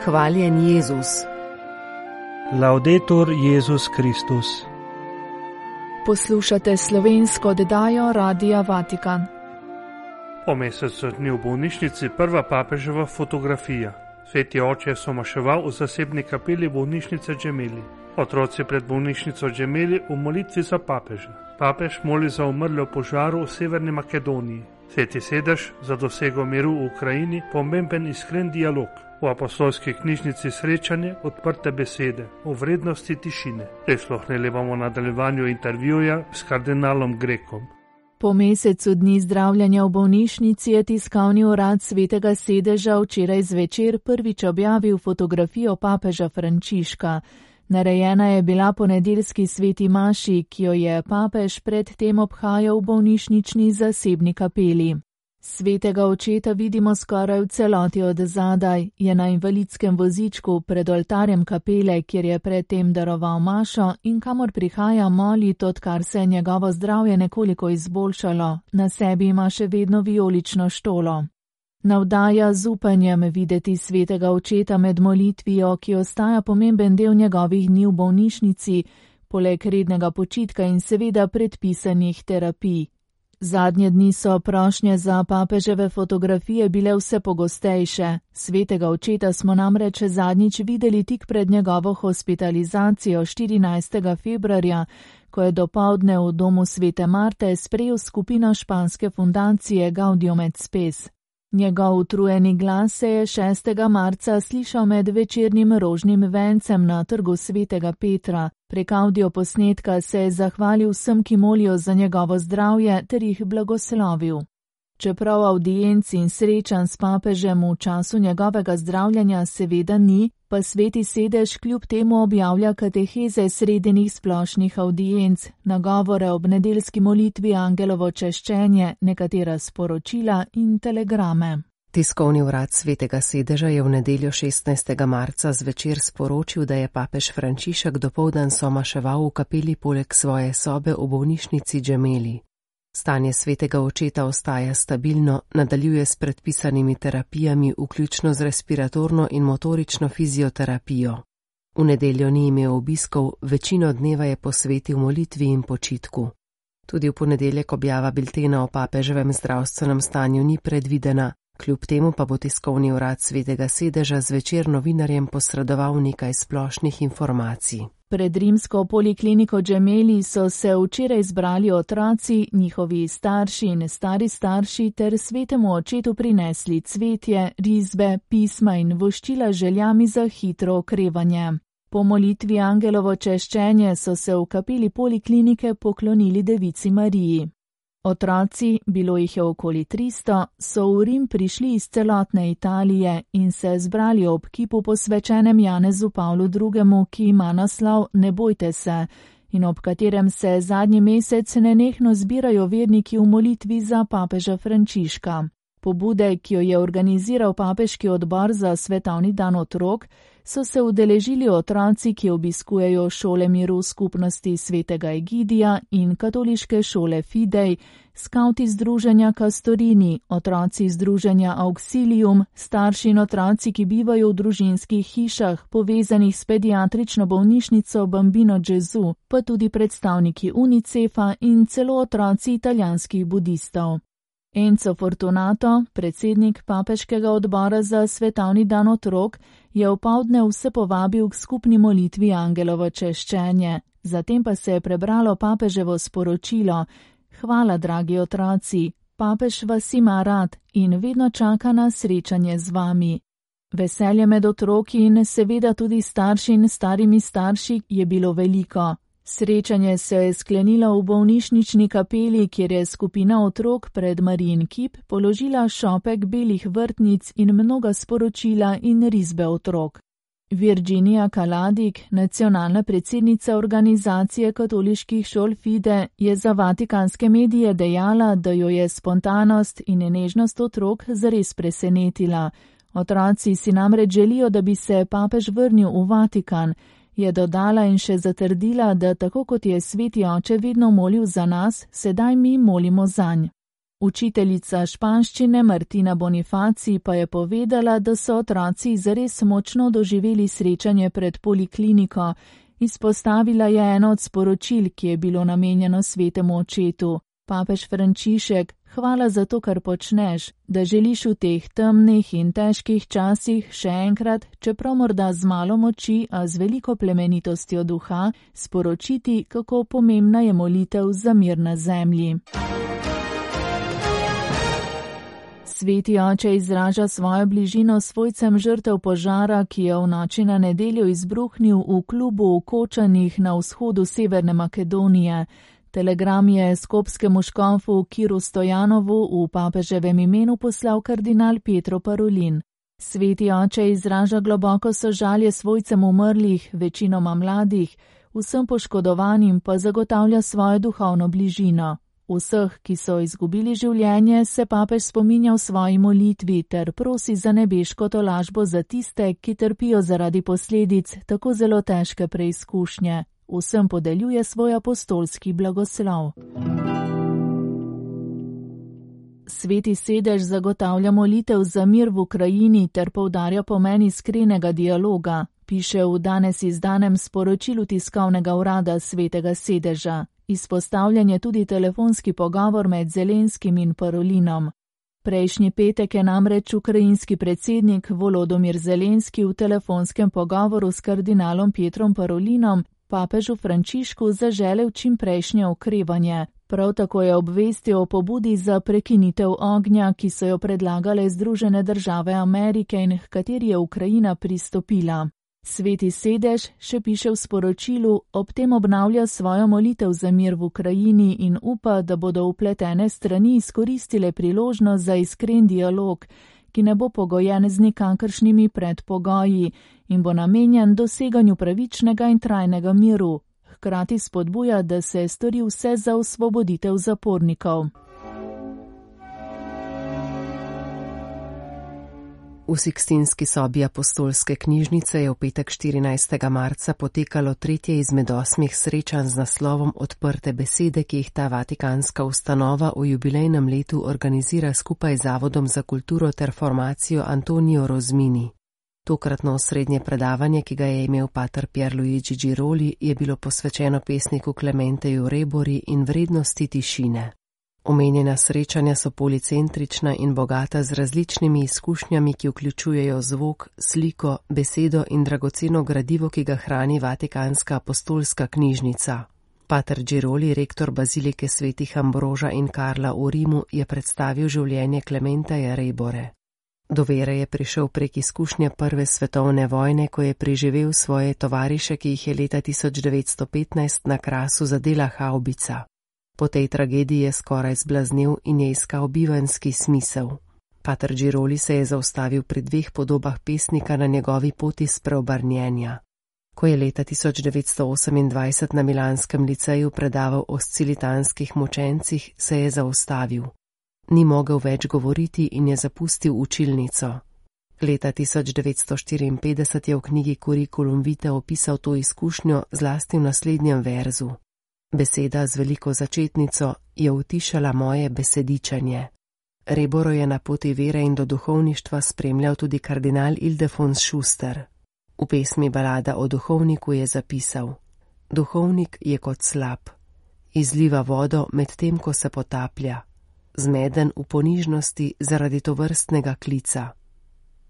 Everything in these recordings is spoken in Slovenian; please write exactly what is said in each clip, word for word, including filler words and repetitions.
Hvaljen Jezus. Laudetur Jezus Kristus. Poslušate slovensko oddajo Radia Vatikan. Po mesecu dni v bolnišnici prva papeževa fotografija. Sveti oče je somaševal v zasebni kapeli bolnišnice Gemelli. Otroci pred bolnišnico Gemelli v molitvi za papeža. Papež moli za umrle v požaru v Severni Makedoniji. Sveti sedež za dosego miru v Ukrajini, pomemben iskren dialog. V apostolski knjižnici srečanje, odprte besede o vrednosti tišine. Prisluhnili bomo nadaljevanju intervjuja s kardinalom Grekom. Po mesecu dni zdravljenja v bolnišnici je tiskovni urad Svetega sedeža včeraj zvečer prvič objavil fotografijo papeža Frančiška. Narejena je bila po nedeljski sveti maši, ki jo je papež predtem obhajal v bolnišnični zasebni kapeli. Svetega očeta vidimo skoraj v celoti od zadaj, je na invalidskem vozičku pred oltarjem kapele, kjer je predtem daroval mašo in kamor prihaja molit, odkar se je njegovo zdravje nekoliko izboljšalo, na sebi ima še vedno vijolično štolo. Navdaja z upanjem videti svetega očeta med molitvijo, ki ostaja pomemben del njegovih dni v bolnišnici, poleg rednega počitka in seveda predpisanih terapij. Zadnje dni so prošnje za papeževe fotografije bile vse pogostejše. Svetega očeta smo namreč zadnjič videli tik pred njegovo hospitalizacijo štirinajstega februarja, ko je dopoldne v domu svete Marte sprejel skupino španske fundacije Gaudium et Spes. Njegov utrujeni glas se je šestega marca slišal med večernim rožnim vencem na trgu svetega Petra. Prek avdioposnetka se je zahvalil vsem, ki molijo za njegovo zdravje, ter jih blagoslovil. Čeprav avdienc in srečanj s papežem v času njegovega zdravljenja seveda ni, pa sveti sedež kljub temu objavlja kateheze sredenih splošnih avdienc, nagovore ob nedeljski molitvi, angelovo češčenje, nekatera sporočila in telegrame. Tiskovni urad Svetega sedeža je v nedeljo šestnajstega marca zvečer sporočil, da je papež Frančišek dopoldan somaševal v kapeli poleg svoje sobe v bolnišnici Gemelli. Stanje svetega očeta ostaja stabilno, nadaljuje s predpisanimi terapijami, vključno z respiratorno in motorično fizioterapijo. V nedeljo ni imel obiskov, večino dneva je posvetil molitvi in počitku. Tudi v ponedeljek objava biltena o papeževem zdravstvenem stanju ni predvidena, kljub temu pa bo tiskovni urad Svetega sedeža zvečer novinarjem posredoval nekaj splošnih informacij. Pred rimsko polikliniko Gemelli so se včeraj zbrali otroci, njihovi starši in stari starši ter svetemu očetu prinesli cvetje, risbe, pisma in voščila željami za hitro okrevanje. Po molitvi angelovo češčenje so se v kapeli poliklinike poklonili Devici Mariji. Otroci, bilo jih je okoli tristo, so v Rim prišli iz celotne Italije in se zbrali ob kipu posvečenem Janezu Pavlu drugemu, ki ima naslov Ne bojte se, in ob katerem se zadnji mesec nenehno zbirajo verniki v molitvi za papeža Frančiška. Pobude, ki jo je organiziral papeški odbor za svetovni dan otrok, so se udeležili otroci, ki obiskujejo šole miru skupnosti svetega Egidija in katoliške šole Fidej, skauti združenja Castorini, otroci združenja Auxilium, starši in otroci, ki bivajo v družinskih hišah, povezanih s pediatrično bolnišnico Bambino Gesù, pa tudi predstavniki Unicefa in celo otroci italijanskih budistov. Enzo Fortunato, predsednik papeškega odbora za svetovni dan otrok, je opoldne vse povabil k skupni molitvi angelovo češčenje. Zatem pa se je prebralo papeževo sporočilo: Hvala, dragi otroci, papež vas ima rad in vedno čaka na srečanje z vami. Veselje med otroki in seveda tudi starši in starimi starši je bilo veliko. Srečanje se je sklenilo v bolnišnični kapeli, kjer je skupina otrok pred Marijin kip položila šopek belih vrtnic in mnoga sporočila in risbe otrok. Virginia Kaladik, nacionalna predsednica organizacije katoliških šol Fide, je za vatikanske medije dejala, da jo je spontanost in nežnost otrok zares presenetila. Otroci si namreč želijo, da bi se papež vrnil v Vatikan, je dodala in še zatrdila, da tako kot je sveti oče vedno molil za nas, sedaj mi molimo zanj. Učiteljica španščine Martina Bonifaci pa je povedala, da so otroci zares močno doživeli srečanje pred polikliniko. Izpostavila je eno od sporočil, ki je bilo namenjeno svetemu očetu. Papež Frančišek, hvala za to, kar počneš, da želiš v teh temnih in težkih časih še enkrat, čeprav morda z malo moči, a z veliko plemenitostjo duha, sporočiti, kako pomembna je molitev za mir na zemlji. Sveti oče izraža svojo bližino svojcem žrtev požara, ki je v noči na nedeljo izbruhnil v klubu v Kočanih na vzhodu Severne Makedonije. Telegram je skopskemu škofu Kiru Stojanovu v papeževem imenu poslal kardinal Pietro Parolin. Sveti oče izraža globoko sožalje svojcem umrlih, večinoma mladih, vsem poškodovanim pa zagotavlja svojo duhovno bližino. Vseh, ki so izgubili življenje, se papež spominja v svoji molitvi ter prosi za nebeško tolažbo za tiste, ki trpijo zaradi posledic tako zelo težke preizkušnje. Vsem podeljuje svoj apostolski blagoslov. Sveti sedež zagotavlja molitev za mir v Ukrajini ter poudarja pomen iskrenega dialoga, piše v danes izdanem sporočilu tiskovnega urada Svetega sedeža. Izpostavljen je tudi telefonski pogovor med Zelenskim in Parolinom. Prejšnji petek je namreč ukrajinski predsednik Volodomir Zelenski v telefonskem pogovoru s kardinalom Pietrom Parolinom papežu Frančišku zaželel čimprejšnje okrevanje. Prav tako je obvestil o pobudi za prekinitev ognja, ki so jo predlagale Združene države Amerike in h kateri je Ukrajina pristopila. Sveti sedež, še piše v sporočilu, ob tem obnavlja svojo molitev za mir v Ukrajini in upa, da bodo vpletene strani izkoristile priložnost za iskren dialog, ki ne bo pogojen z nikakršnimi predpogoji in bo namenjen doseganju pravičnega in trajnega miru. Hkrati spodbuja, da se stori vse za osvoboditev zapornikov. V Sikstinski sobi apostolske knjižnice je v petek štirinajstega marca potekalo tretje izmed osmih srečanj z naslovom Odprte besede, ki jih ta vatikanska ustanova v jubilejnem letu organizira skupaj z Zavodom za kulturo ter formacijo Antonio Rozmini. Tokratno osrednje predavanje, ki ga je imel pater Pierluigi Giroli, je bilo posvečeno pesniku Clementeju Rebori in vrednosti tišine. Omenjena srečanja so policentrična in bogata z različnimi izkušnjami, ki vključujejo zvok, sliko, besedo in dragoceno gradivo, ki ga hrani Vatikanska apostolska knjižnica. Pater Giroli, rektor bazilike svetih Ambroža in Karla v Rimu, je predstavil življenje Clementeja Rebore. Do vere je prišel prek izkušnje prve svetovne vojne, ko je preživel svoje tovariše, ki jih je leta tisoč devetsto petnajst na Krasu zadela havbica. Po tej tragediji je skoraj zblaznel in je iskal bivanjski smisel. Pater Giroli se je zaustavil pri dveh podobah pesnika na njegovi poti spreobrnjenja. Ko je leta tisoč devetsto osemindvajset na milanskem liceju predaval o scilitanskih mučencih, se je zaustavil. Ni mogel več govoriti in je zapustil učilnico. Leta tisoč devetsto štiriinpetdeset je v knjigi Curriculum vitae opisal to izkušnjo zlasti v naslednjem verzu. Beseda z veliko začetnico je utišala moje besedičanje. Reboro je na poti vere in do duhovništva spremljal tudi kardinal Ildefons Schuster. V pesmi Balada o duhovniku je zapisal: Duhovnik je kot slap, izliva vodo med tem, ko se potaplja, zmeden v ponižnosti zaradi tovrstnega klica.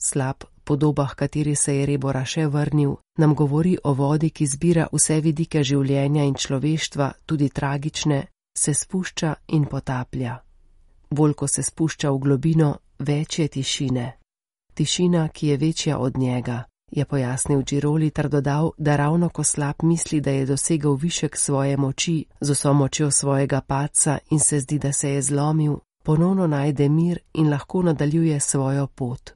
Slab, podobah, kateri se je Rebora še vrnil, nam govori o vodi, ki zbira vse vidike življenja in človeštva, tudi tragične, se spušča in potaplja. Bolj ko se spušča v globino, več je tišine. Tišina, ki je večja od njega, je pojasnil Giroli ter dodal, da ravno ko slab misli, da je dosegel višek svoje moči z vso močjo svojega padca in se zdi, da se je zlomil, ponovno najde mir in lahko nadaljuje svojo pot.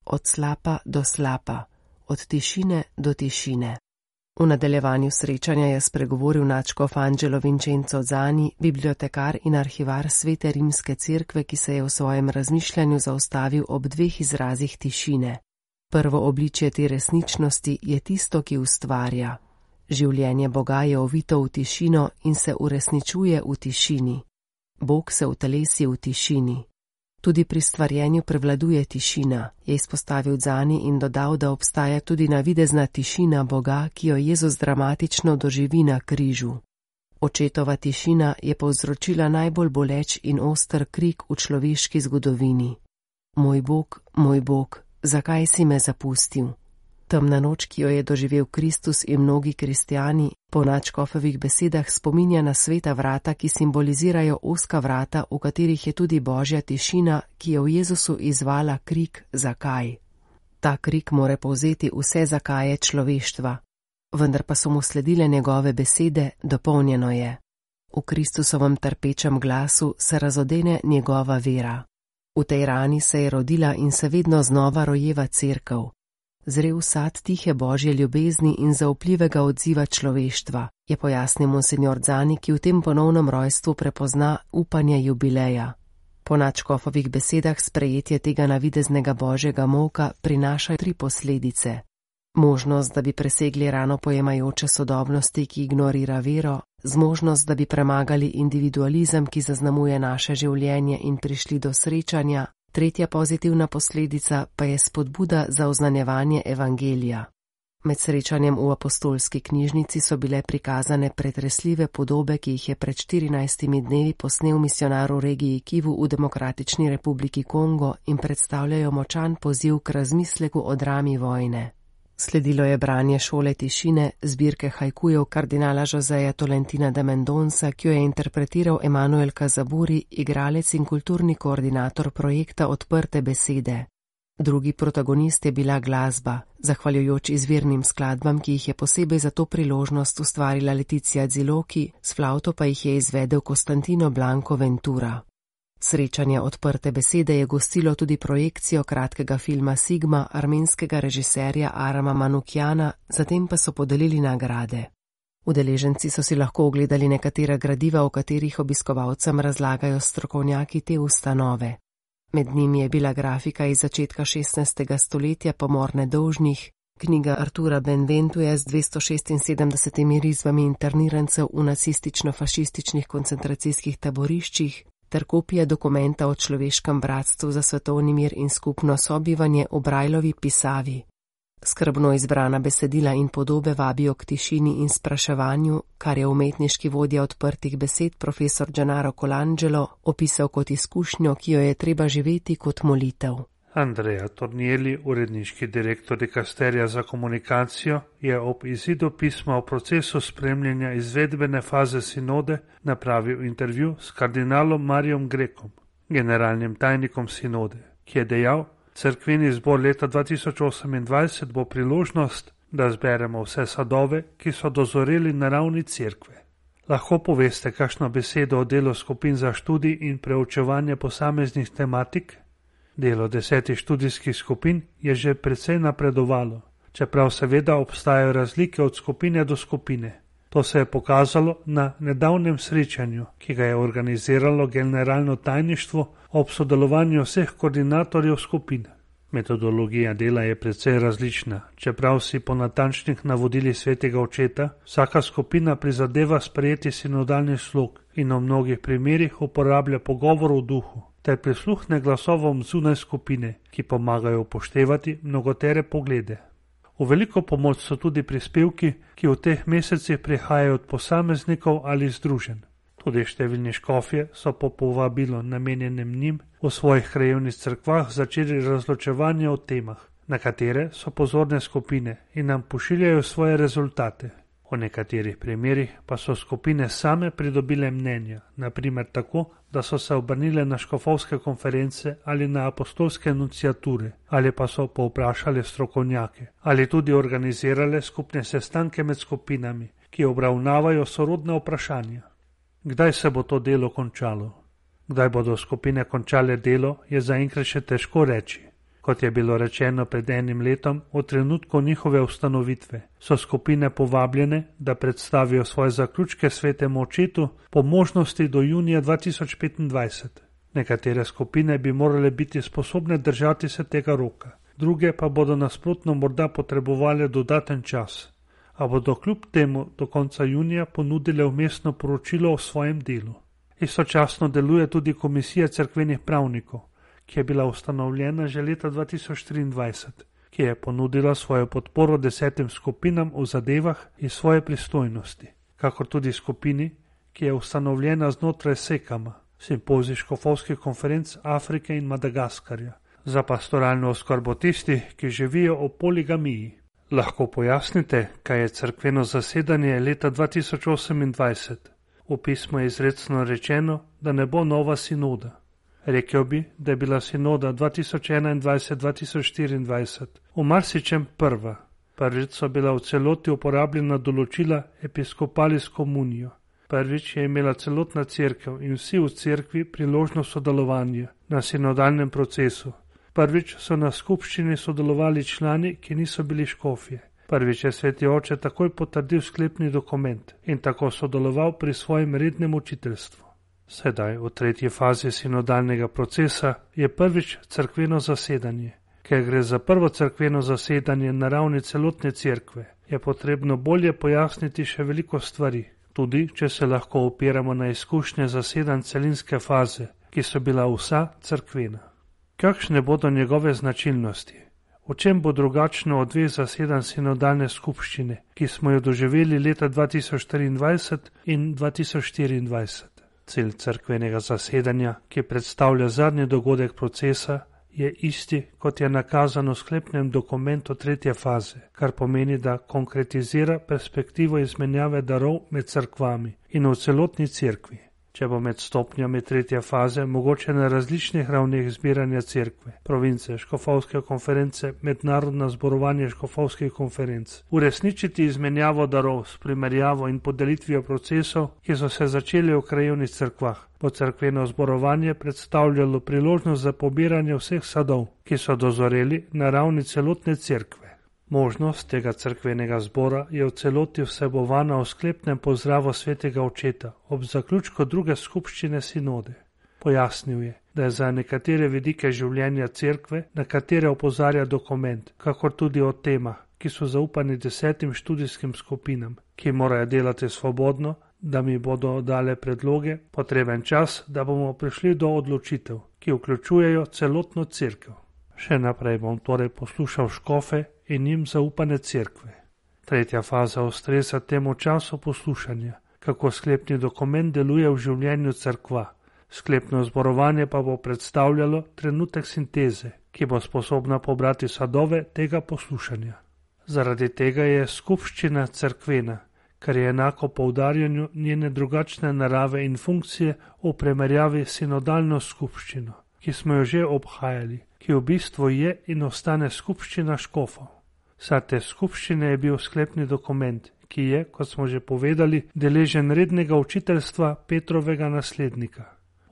Od slapa do slapa, od tišine do tišine. V nadaljevanju srečanja je spregovoril nadškof Angelo Vincenzo Zani, bibliotekar in arhivar Svete rimske cerkve, ki se je v svojem razmišljanju zaustavil ob dveh izrazih tišine. Prvo obličje te resničnosti je tisto, ki ustvarja. Življenje Boga je ovito v tišino in se uresničuje v tišini. Bog se utelesi v tišini. Tudi pri stvarjenju prevladuje tišina, je izpostavil Zani in dodal, da obstaja tudi navidezna tišina Boga, ki jo Jezus dramatično doživi na križu. Očetova tišina je povzročila najbolj boleč in oster krik v človeški zgodovini. Moj Bog, moj Bog, zakaj si me zapustil? Temna noč, ki jo je doživel Kristus in mnogi kristjani, po nadškofovih besedah spominja na sveta vrata, ki simbolizirajo ozka vrata, v katerih je tudi božja tišina, ki je v Jezusu izvala krik zakaj. Ta krik more povzeti vse zakaje človeštva, vendar pa so mu sledile njegove besede, dopolnjeno je. V Kristusovem trpečem glasu se razodene njegova vera. V tej rani se je rodila in se vedno znova rojeva cerkev. Zrel sad tihe božje ljubezni in zaupljivega odziva človeštva, je pojasnil monsignor Zani, ki v tem ponovnem rojstvu prepozna upanje jubileja. Po nadškofovih besedah sprejetje tega navideznega božjega molka prinaša tri posledice. Možnost, da bi presegli rano pojemajoče sodobnosti, ki ignorira vero, zmožnost, da bi premagali individualizem, ki zaznamuje naše življenje in prišli do srečanja. Tretja pozitivna posledica pa je spodbuda za oznanjevanje evangelija. Med srečanjem v apostolski knjižnici so bile prikazane pretresljive podobe, ki jih je pred štirinajstimi dnevi posnel misionar v regiji Kivu v Demokratični republiki Kongo in predstavljajo močan poziv k razmisleku o drami vojne. Sledilo je branje Šole tišine, zbirke hajkujev kardinala Joseja Tolentina de Mendonca, ki jo je interpretiral Emanuel Kazaburi, igralec in kulturni koordinator projekta Odprte besede. Drugi protagonist je bila glasba, zahvaljujoč izvirnim skladbam, ki jih je posebej za to priložnost ustvarila Leticia Ziloki, s flavto pa jih je izvedel Costantino Blanco Ventura. Srečanje Odprte besede je gostilo tudi projekcijo kratkega filma Sigma armenskega režiserja Arama Manukjana, zatem pa so podelili nagrade. Udeleženci so si lahko ogledali nekatera gradiva, v katerih obiskovalcem razlagajo strokovnjaki te ustanove. Med njimi je bila grafika iz začetka šestnajstega stoletja Pomor nedolžnih, knjiga Artura Benventuja z dvesto šestinsedemdesetimi risbami internirancev v nacistično-fašističnih koncentracijskih taboriščih, ter kopija dokumenta o človeškem bratstvu za svetovni mir in skupno sobivanje v Brajlovi pisavi. Skrbno izbrana besedila in podobe vabijo k tišini in spraševanju, kar je umetniški vodja Odprtih besed profesor Gennaro Colangelo opisal kot izkušnjo, ki jo je treba živeti kot molitev. Andrea Tornielli, uredniški direktor dikasterija za komunikacijo, je ob izidu pisma o procesu spremljanja izvedbene faze sinode napravil intervju s kardinalom Marijom Grekom, generalnim tajnikom sinode, ki je dejal, cerkveni zbor leta dva tisoč osemindvajset bo priložnost, da zberemo vse sadove, ki so dozoreli na ravni cerkve. Lahko poveste kakšno besedo o delu skupin za študij in preučevanje posameznih tematik? Delo desetih študijskih skupin je že precej napredovalo, čeprav seveda obstajajo razlike od skupine do skupine. To se je pokazalo na nedavnem srečanju, ki ga je organiziralo generalno tajništvo ob sodelovanju vseh koordinatorjev skupin. Metodologija dela je precej različna, čeprav si po natančnih navodilih svetega očeta vsaka skupina prizadeva sprejeti sinodalni slog in v mnogih primerih uporablja pogovor v duhu, ter prisluhne glasovom zunaj skupine, ki pomagajo upoštevati mnogotere poglede. V veliko pomoč so tudi prispevki, ki v teh mesecih prihajajo od posameznikov ali združenj. Tudi številni škofje so po povabilu namenjenem njim v svojih krajevnih cerkvah začeli razločevanje o temah, na katere so pozorne skupine in nam pošiljajo svoje rezultate. V nekaterih primerih pa so skupine same pridobile mnenja, naprimer tako, da so se obrnile na škofovske konference ali na apostolske enunciature, ali pa so povprašali strokovnjake, ali tudi organizirale skupne sestanke med skupinami, ki obravnavajo sorodne vprašanja. Kdaj se bo to delo končalo? Kdaj bodo skupine končale delo, je zaenkrat še težko reči. Kot je bilo rečeno pred enim letom, v trenutku njihove ustanovitve, so skupine povabljene, da predstavijo svoje zaključke svetemu očetu po možnosti do junija dva tisoč petindvajset. Nekatere skupine bi morale biti sposobne držati se tega roka, druge pa bodo nasprotno morda potrebovali dodaten čas, a bodo kljub temu do konca junija ponudile vmesno poročilo o svojem delu. Istočasno deluje tudi Komisija cerkvenih pravnikov, ki je bila ustanovljena že leta dva tisoč triindvajset, ki je ponudila svojo podporo desetim skupinam v zadevah iz svoje pristojnosti, kakor tudi skupini, ki je ustanovljena znotraj Sekama, simpozij škofovskih konferenc Afrike in Madagaskarja, za pastoralno oskrbo tistih, ki živijo o poligamiji. Lahko pojasnite, kaj je cerkveno zasedanje leta dva tisoč osemindvajset? V pismu je izrecno rečeno, da ne bo nova sinoda. Rekel bi, da je bila sinoda dva tisoč enaindvajset dva tisoč štiriindvajset v marsičem prva. Prvič so bila v celoti uporabljena določila Episcopalis Communio. Prvič je imela celotna cerkev in vsi v cerkvi priložnost sodelovanja na sinodalnem procesu. Prvič so na skupščini sodelovali člani, ki niso bili škofje. Prvič je sveti oče takoj potrdil sklepni dokument in tako sodeloval pri svojem rednem učiteljstvu. Sedaj, v tretji fazi sinodalnega procesa, je prvič cerkveno zasedanje. Ker gre za prvo cerkveno zasedanje na ravni celotne cerkve, je potrebno bolje pojasniti še veliko stvari, tudi če se lahko opiramo na izkušnje zasedanj celinske faze, ki so bila vsa cerkvena. Kakšne bodo njegove značilnosti? V čem bo drugačno od dveh zasedanj sinodalne skupščine, ki smo jo doživeli leta dva tisoč triindvajset in dva tisoč štiriindvajset? Cilj cerkvenega zasedanja, ki predstavlja zadnji dogodek procesa, je isti, kot je nakazano v sklepnem dokumentu tretje faze, kar pomeni, da konkretizira perspektivo izmenjave darov med cerkvami in v celotni cerkvi. Če bo med stopnjami tretje faze mogoče na različnih ravneh zbiranja cerkve, province, škofovske konference, mednarodna zborovanje škofovskih konferenc, uresničiti izmenjavo darov s primerjavo in podelitvijo procesov, ki so se začeli v krajevnih cerkvah, bo cerkveno zborovanje predstavljalo priložnost za pobiranje vseh sadov, ki so dozoreli na ravni celotne cerkve. Možnost tega cerkvenega zbora je v celoti vsebovana v sklepnem pozdravu svetega očeta ob zaključku druge skupščine sinode. Pojasnil je, da je za nekatere vidike življenja cerkve, na katere opozarja dokument, kakor tudi o temah, ki so zaupani desetim študijskim skupinam, ki morajo delati svobodno, da mi bodo dale predloge, potreben čas, da bomo prišli do odločitev, ki vključujejo celotno cerkev. Še naprej bom torej poslušal škofe in njim zaupane cerkve. Tretja faza ustreza temu času poslušanja, kako sklepni dokument deluje v življenju cerkva. Sklepno zborovanje pa bo predstavljalo trenutek sinteze, ki bo sposobna pobrati sadove tega poslušanja. Zaradi tega je skupščina cerkvena, kar je enako poudarjanju njene drugačne narave in funkcije v primerjavi s sinodalno skupščino, ki smo jo že obhajali, ki v bistvu je in ostane skupščina škofov. Vsa te skupščine je bil sklepni dokument, ki je, kot smo že povedali, deležen rednega učiteljstva Petrovega naslednika.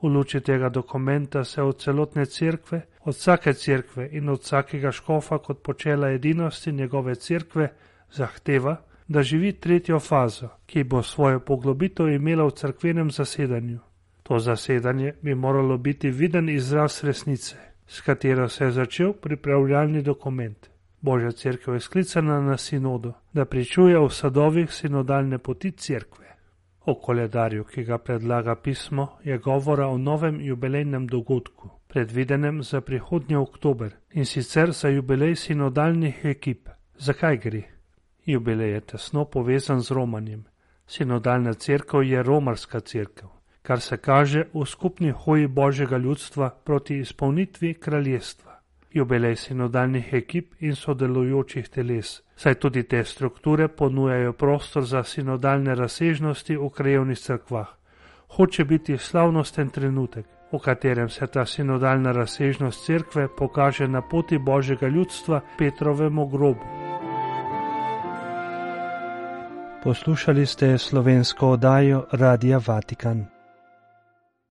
V luči tega dokumenta se od celotne cerkve, od vsake cerkve in od vsakega škofa kot počela edinosti njegove cerkve zahteva, da živi tretjo fazo, ki bo svojo poglobitev imela v cerkvenem zasedanju. To zasedanje bi moralo biti viden izraz resnice, s katero se je začel pripravljalni dokument. Božja cerkev je sklicana na sinodo, da pričuje v sadovih sinodalne poti cerkve. O koledarju, ki ga predlaga pismo, je govora o novem jubilejnem dogodku, predvidenem za prihodnji oktober, in sicer za jubilej sinodalnih ekip. Zakaj gre? Jubilej je tesno povezan z romanjem. Sinodalna cerkev je romarska cerkev, kar se kaže v skupni hoji Božjega ljudstva proti izpolnitvi kraljestva. Jubilej sinodalnih ekip in sodelujočih teles, saj tudi te strukture ponujajo prostor za sinodalne razsežnosti v krajevnih cerkvah. Hoče biti slavnosten trenutek, v katerem se ta sinodalna razsežnost cerkve pokaže na poti Božjega ljudstva Petrovemu grobu. Poslušali ste slovensko oddajo Radia Vatikan.